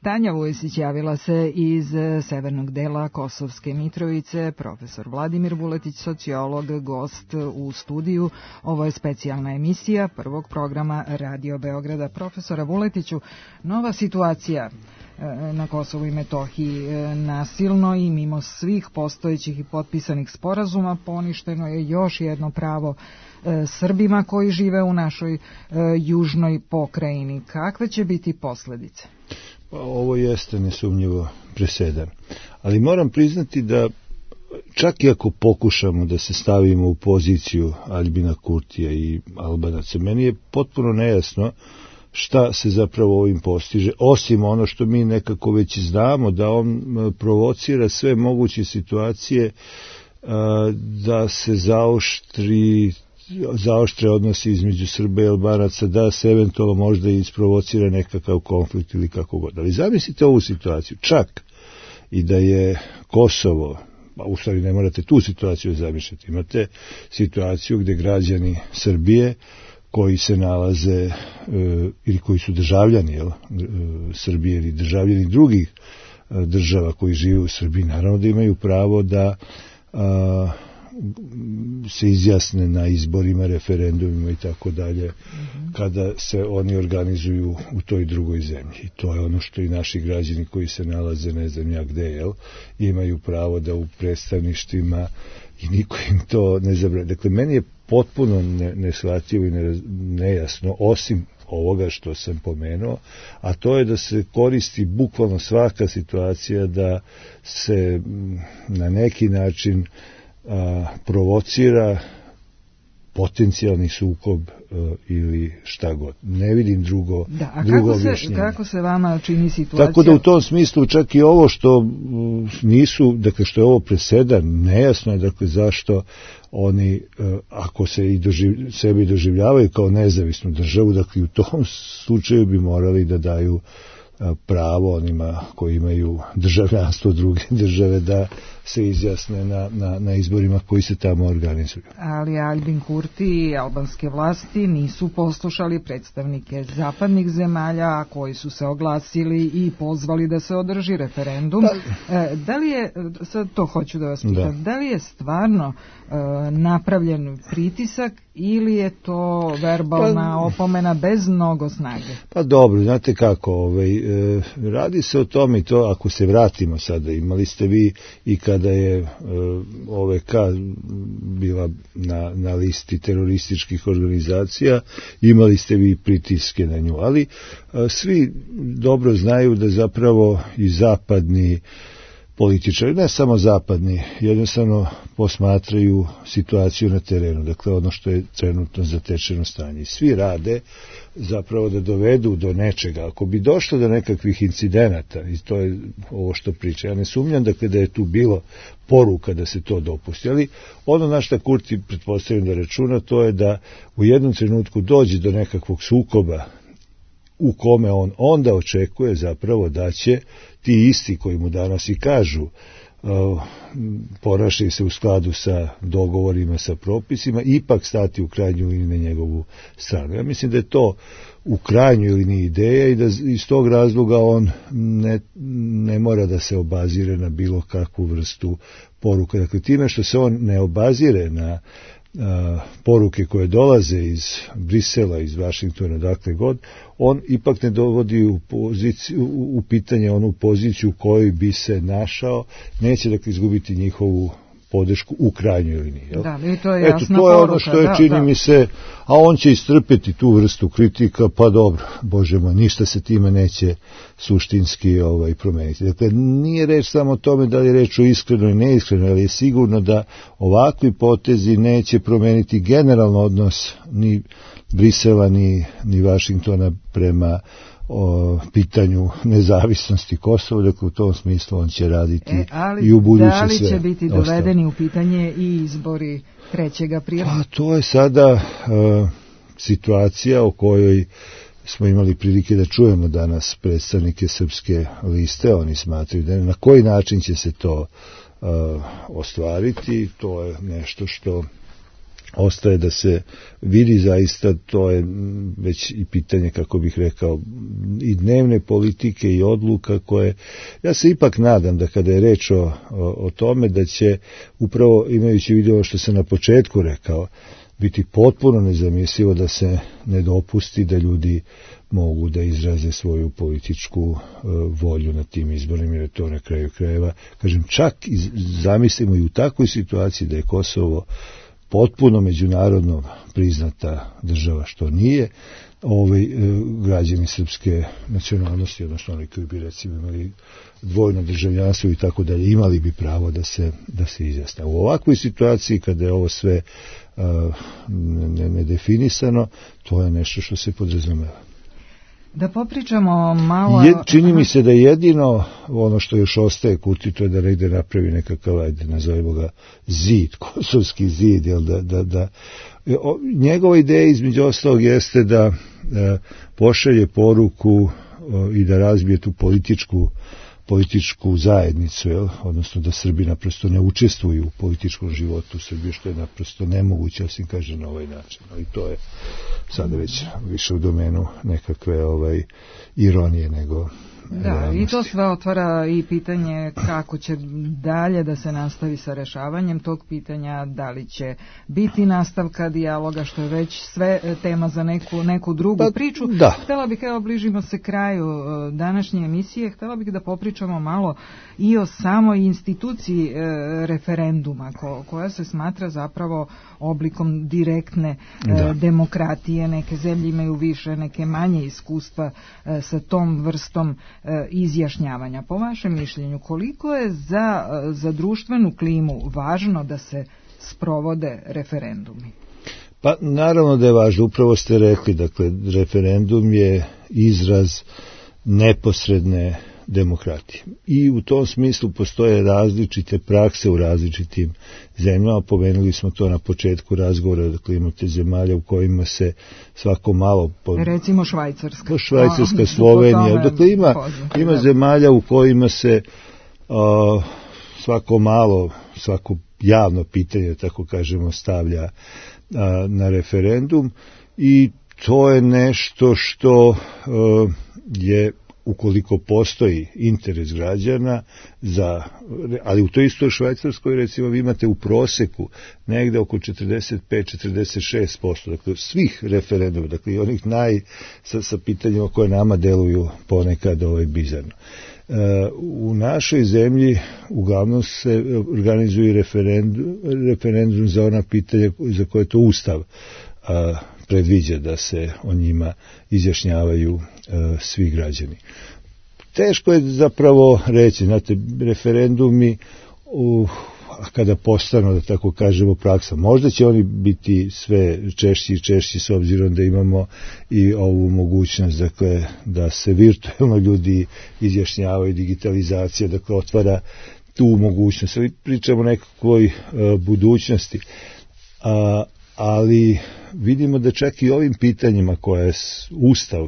Tanja Vujsić javila se iz severnog dela Kosovske Mitrovice, profesor Vladimir Vuletić, sociolog, gost u studiju. Ovo je specijalna emisija prvog programa Radio Beograda. Profesora Vuletiću, nova situacija na Kosovu i Metohiji, nasilno i mimo svih postojećih i potpisanih sporazuma poništeno je još jedno pravo Srbima koji žive u našoj južnoj pokrajini. Kakve će biti posledice? Ovo jeste nesumnjivo presedan. Ali moram priznati da čak i ako pokušamo da se stavimo u poziciju Aljbina Kurtija i Albanaca, meni je potpuno nejasno šta se zapravo ovim postiže, osim ono što mi nekako već znamo, da on provocira sve moguće situacije da se zaoštre odnosi između Srba i Albanaca, da se eventualno možda isprovocira nekakav konflikt ili kako god. Ali zamislite ovu situaciju, čak i da je Kosovo, u stvari ne morate tu situaciju zamišljati, imate situaciju gde građani Srbije koji se nalaze ili koji su državljani Srbije ili državljani drugih država koji žive u Srbiji, naravno da imaju pravo da se izjasne na izborima, referendumima i tako dalje, kada se oni organizuju u toj drugoj zemlji. I to je ono što i naši građani koji se nalaze ne znam ja gde, imaju pravo da u predstavništvima i niko im to ne zabrani. Dakle, meni je potpuno neshvatljivo i nejasno, osim ovoga što sam pomenuo, a to je da se koristi bukvalno svaka situacija da se na neki način provocira potencijalni sukob ili šta god. Ne vidim drugo objašnjenje. Kako se vama čini situacija? Tako da u tom smislu čak i ovo što nisu, dakle što je ovo presedan, nejasno je dakle zašto oni, ako se i sebi doživljavaju kao nezavisnu državu, dakle u tom slučaju bi morali da daju pravo onima koji imaju državljanstvo druge države da se izjasne na izborima koji se tamo organizuju. Ali Aljbin Kurti i albanske vlasti nisu poslušali predstavnike zapadnih zemalja koji su se oglasili i pozvali da se održi referendum. Da li je, sad to hoću da vas pitam, da li je stvarno napravljen pritisak ili je to verbalna opomena bez mnogo snage? Pa dobro, znate kako, radi se o tome i to, ako se vratimo sada, imali ste vi i kada je OVK bila na listi terorističkih organizacija, imali ste vi pritiske na nju, ali svi dobro znaju da zapravo i zapadni političari, ne samo zapadni, jednostavno posmatraju situaciju na terenu, dakle ono što je trenutno zatečeno stanje. Svi rade zapravo da dovedu do nečega. Ako bi došlo do nekakvih incidenata, i to je ovo što priča, ja ne sumnjam dakle da je tu bilo poruka da se to dopusti, ali ono na šta Kurti pretpostavljam da računa, to je da u jednom trenutku dođe do nekakvog sukoba u kome on onda očekuje zapravo da će ti isti koji mu danas i kažu ponašaju se u skladu sa dogovorima, sa propisima, ipak stati u krajnju liniju na njegovu stranu. Ja mislim da je to u krajnjoj liniji ideja i da iz tog razloga on ne mora da se obazire na bilo kakvu vrstu poruka. Dakle, time što se on ne obazire na poruke koje dolaze iz Brisela, iz Vašingtona, dakle god, on ipak ne dovodi u pitanje onu poziciju u kojoj bi se našao, neće dakle izgubiti njihovu podršku u krajnjoj liniji. Da, i to je jasna to je poruka, ono što je, čini mi se, a on će istrpeti tu vrstu kritika, pa dobro, Bože moj, ništa se time neće suštinski promeniti. Dakle, nije reč samo o tome da li je reč o iskreno i neiskreno, ali je sigurno da ovakvi potezi neće promeniti generalno odnos ni Brisela, ni Vašingtona prema pitanju nezavisnosti Kosova, dakle u tom smislu on će raditi i u buduće sve. Da li će biti dovedeni u pitanje i izbori 3. aprila? Pa to je sada situacija o kojoj smo imali prilike da čujemo danas predstavnike Srpske liste. Oni smatraju da na koji način će se to ostvariti. To je nešto što ostaje da se vidi zaista, to je već i pitanje, kako bih rekao, i dnevne politike i odluka koje, ja se ipak nadam da kada je reč o tome da će upravo, imajući vidio što sam na početku rekao, biti potpuno nezamislivo da se ne dopusti da ljudi mogu da izraze svoju političku volju na tim izborima, jer je to na kraju krajeva, kažem, čak zamislimo i u takvoj situaciji da je Kosovo potpuno međunarodno priznata država, što nije, građani srpske nacionalnosti, odnosno oni koji bi recimo imali dvojno državljanstvo i tako dalje, imali bi pravo da se izjasne. U ovakvoj situaciji, kada je ovo sve nedefinisano, to je nešto što se podrazumeva. Da popričamo malo... Čini mi se da jedino ono što još ostaje Kurti, to je da negde napravi nekakav, ajde, nazovimo ga zid, kosovski zid, jel njegova ideja između ostalog jeste da pošalje poruku i da razbije tu političku zajednicu, odnosno da Srbi naprosto ne učestvuju u političkom životu u Srbiji, što je naprosto nemoguće, osim kaže na ovaj način. I to je sada već više u domenu nekakve ironije nego realnosti. I to sve otvara i pitanje kako će dalje da se nastavi sa rešavanjem tog pitanja, da li će biti nastavka dijaloga, što je već sve tema za neku drugu priču. Da. Htela bih, bližimo se kraju današnje emisije, htela bih da popričamo malo i o samoj instituciji referenduma, koja se smatra zapravo oblikom direktne demokratije. Neke zemlje imaju više, neke manje iskustva sa tom vrstom izjašnjavanja. Po vašem mišljenju, koliko je za društvenu klimu važno da se sprovode referendumi? Pa naravno da je važno, upravo ste rekli, dakle, referendum je izraz neposredne demokratije. I u tom smislu postoje različite prakse u različitim zemljama. Pomenuli smo to na početku razgovora, dakle imate zemalja u kojima se svako malo... Recimo Švajcarska. Švajcarska, Slovenija. Dakle ima zemalja u kojima se svako malo, svako javno pitanje, tako kažemo, stavlja na referendum i to je nešto što je, ukoliko postoji interes građana ali u toj istoj Švajcarskoj recimo vi imate u proseku negde oko 45-46%, dakle svih referenduma, dakle i onih sa pitanjima koje nama deluju ponekad bizarno. U našoj zemlji uglavnom se organizuju referendum za ona pitanja za koje to Ustav predviđa da se o njima izjašnjavaju svi građani. Teško je zapravo reći, znate, referendumi kada postanu, da tako kažemo, praksa. Možda će oni biti sve češći i češći s obzirom da imamo i ovu mogućnost, dakle, da se virtualno ljudi izjašnjavaju, digitalizacija, dakle, otvara tu mogućnost. Ali pričamo o nekakvoj budućnosti. Ali vidimo da čak i ovim pitanjima koje Ustav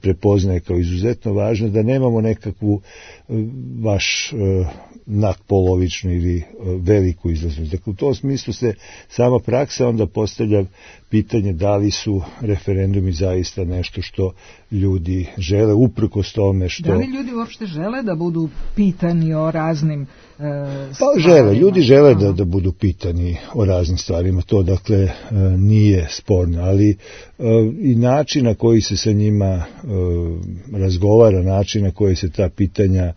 prepoznaje kao izuzetno važno, da nemamo nekakvu baš nadpolovičnu ili veliku izlaznost. Dakle, u tom smislu se sama praksa onda postavlja pitanje da li su referendumi zaista nešto što ljudi žele, uprkos tome što... Da li ljudi uopšte žele da budu pitani o raznim stvarima? Pa žele, ljudi žele da budu pitani o raznim stvarima, to dakle nije sporno, ali i način na koji se sa njima razgovara, način na koji se ta pitanja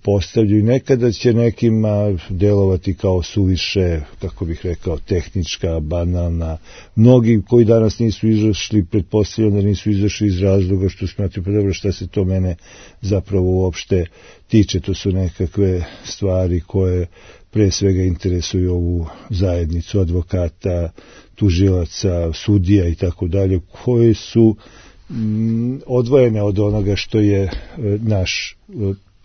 postavljaju. Nekada će nekima delovati kao suviše, kako bih rekao, tehnička, banalna. Mnogi koji danas nisu izašli, pretpostavljam da nisu izašli iz razloga što smatruju, pa dobro, šta se to mene zapravo uopšte tiče. To su nekakve stvari koje pre svega interesuju ovu zajednicu advokata, tužilaca, sudija i tako dalje, koje su odvojene od onoga što je naš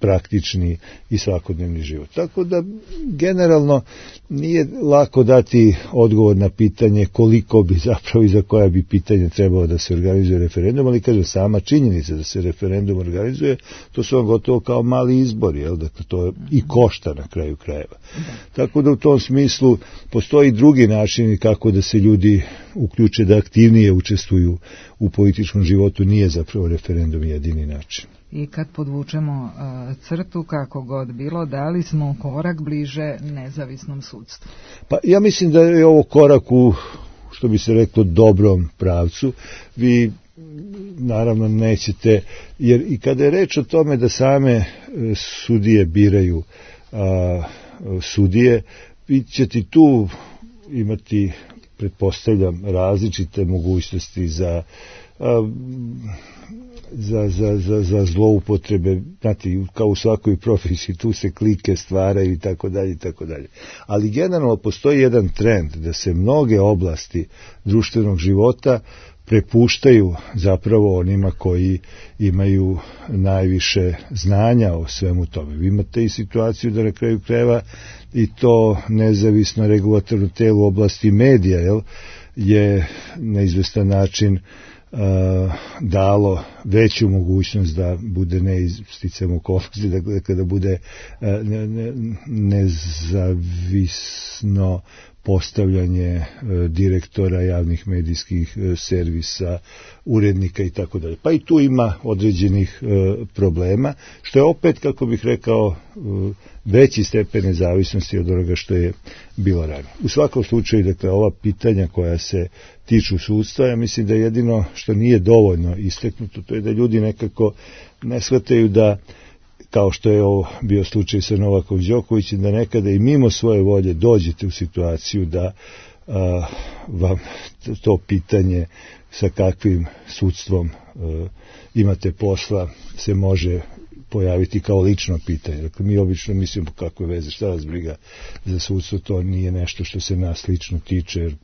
praktični i svakodnevni život. Tako da generalno nije lako dati odgovor na pitanje koliko bi zapravo i za koja bi pitanje trebalo da se organizuje referendum, ali kaže sama činjenica da se referendum organizuje, to su vam gotovo kao mali izbori, jel? Dakle to i košta na kraju krajeva. Tako da u tom smislu postoji drugi način kako da se ljudi uključe, da aktivnije učestvuju u političkom životu, nije zapravo referendum jedini način. I kad podvučemo crtu, kako god bilo, da li smo korak bliže nezavisnom sudstvu? Pa ja mislim da je ovo korak u, što bi se reklo, dobrom pravcu. Vi naravno nećete, jer i kada je reč o tome da same sudije biraju sudije, vi ćete tu imati, pretpostavljam, različite mogućnosti za zloupotrebe, znate, kao u svakoj profesiji, tu se klike stvaraju i tako dalje i tako dalje. Ali generalno postoji jedan trend da se mnoge oblasti društvenog života prepuštaju zapravo onima koji imaju najviše znanja o svemu tome. Vi imate i situaciju da na kraju krajeva i to nezavisno regulatorno telo u oblasti medija je na izvestan način dalo veću mogućnost da bude neisticam okolnosti, dakle kada bude nezavisno postavljanje direktora javnih medijskih servisa, urednika i tako dalje. Pa i tu ima određenih problema, što je opet, kako bih rekao, veći stepen nezavisnosti od onoga što je bilo ranije. U svakom slučaju, dakle, ova pitanja koja se tiču sudstva, ja mislim da jedino što nije dovoljno istaknuto, to je da ljudi nekako ne shvataju da, kao što je ovo bio slučaj sa Novakom Đokovićem, da nekada i mimo svoje volje dođete u situaciju da vam to pitanje sa kakvim sudstvom imate posla se može pojaviti kao lično pitanje. Dakle, mi obično mislimo kakve veze, šta vas briga za sudstvo, to nije nešto što se nas lično tiče, jer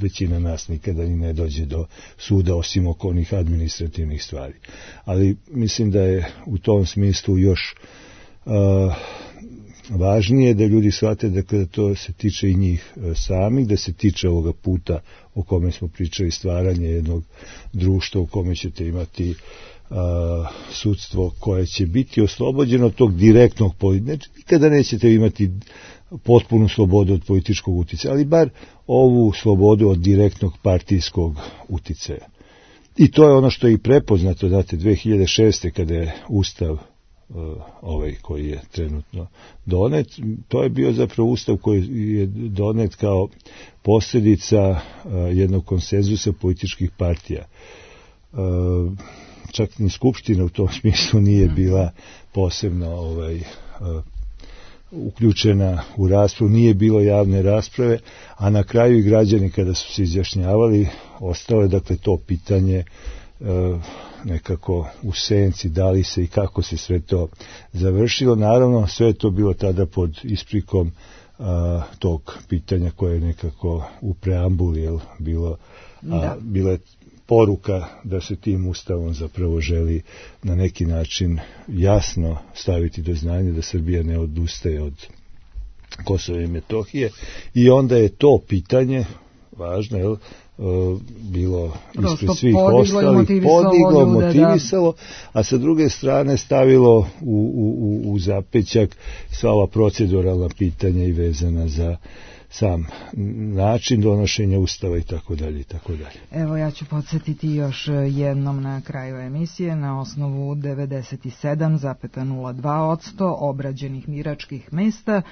većina nas nikada ni ne dođe do suda osim oko onih administrativnih stvari. Ali mislim da je u tom smislu još važnije da ljudi shvate da kada to se tiče i njih samih, da se tiče ovoga puta o kome smo pričali, stvaranje jednog društva u kome ćete imati sudstvo koje će biti oslobođeno od tog direktnog političkog. Nikada nećete imati potpunu slobodu od političkog uticaja, ali bar ovu slobodu od direktnog partijskog uticaja. I to je ono što je i prepoznato, znate, 2006. kada je Ustav ovaj koji je trenutno donet, to je bio zapravo Ustav koji je donet kao posljedica jednog konsenzusa političkih partija. Čak ni Skupština u tom smislu nije bila posebno uključena u raspravu, nije bilo javne rasprave, a na kraju i građani kada su se izjašnjavali, ostalo je dakle to pitanje nekako u senci, da li se i kako se sve to završilo. Naravno, sve je to bilo tada pod isprikom tog pitanja koje je nekako u preambuli bilo je poruka da se tim ustavom zapravo želi na neki način jasno staviti do znanja da Srbija ne odustaje od Kosova i Metohije, i onda je to pitanje važno, bilo ispred svih ostalih, podiglo, motivisalo, a sa druge strane stavilo u zapećak sva ova proceduralna pitanja i vezana za sam način donošenja ustava i tako dalje i tako dalje. Evo, ja ću podsjetiti još jednom na kraju emisije. Na osnovu 97,02% obrađenih biračkih mesta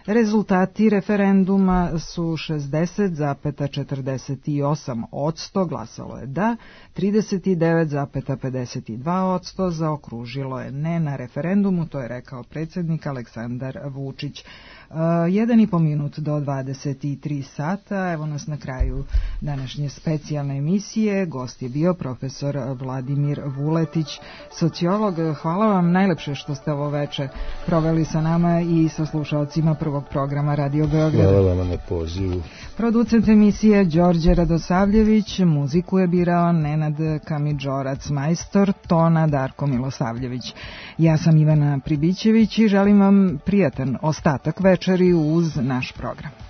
rezultati referenduma su 60,48%, glasalo je da, 39,52% zaokružilo je ne na referendumu, to je rekao predsjednik Aleksandar Vučić. 1,5 minut do 23 sata. Evo nas na kraju današnje specijalne emisije. Gost je bio profesor Vladimir Vuletić, sociolog. Hvala vam najlepše što ste ovo veče proveli sa nama i sa slušalcima prvog programa Radio Beograda. Hvala vam na pozivu. Producent emisije Đorđe Radosavljević, muziku je birao Nenad Kamidžorac, majstor tona Darko Milosavljević. Ja sam Ivana Pribićević i želim vam prijatan ostatak večeri uz naš program.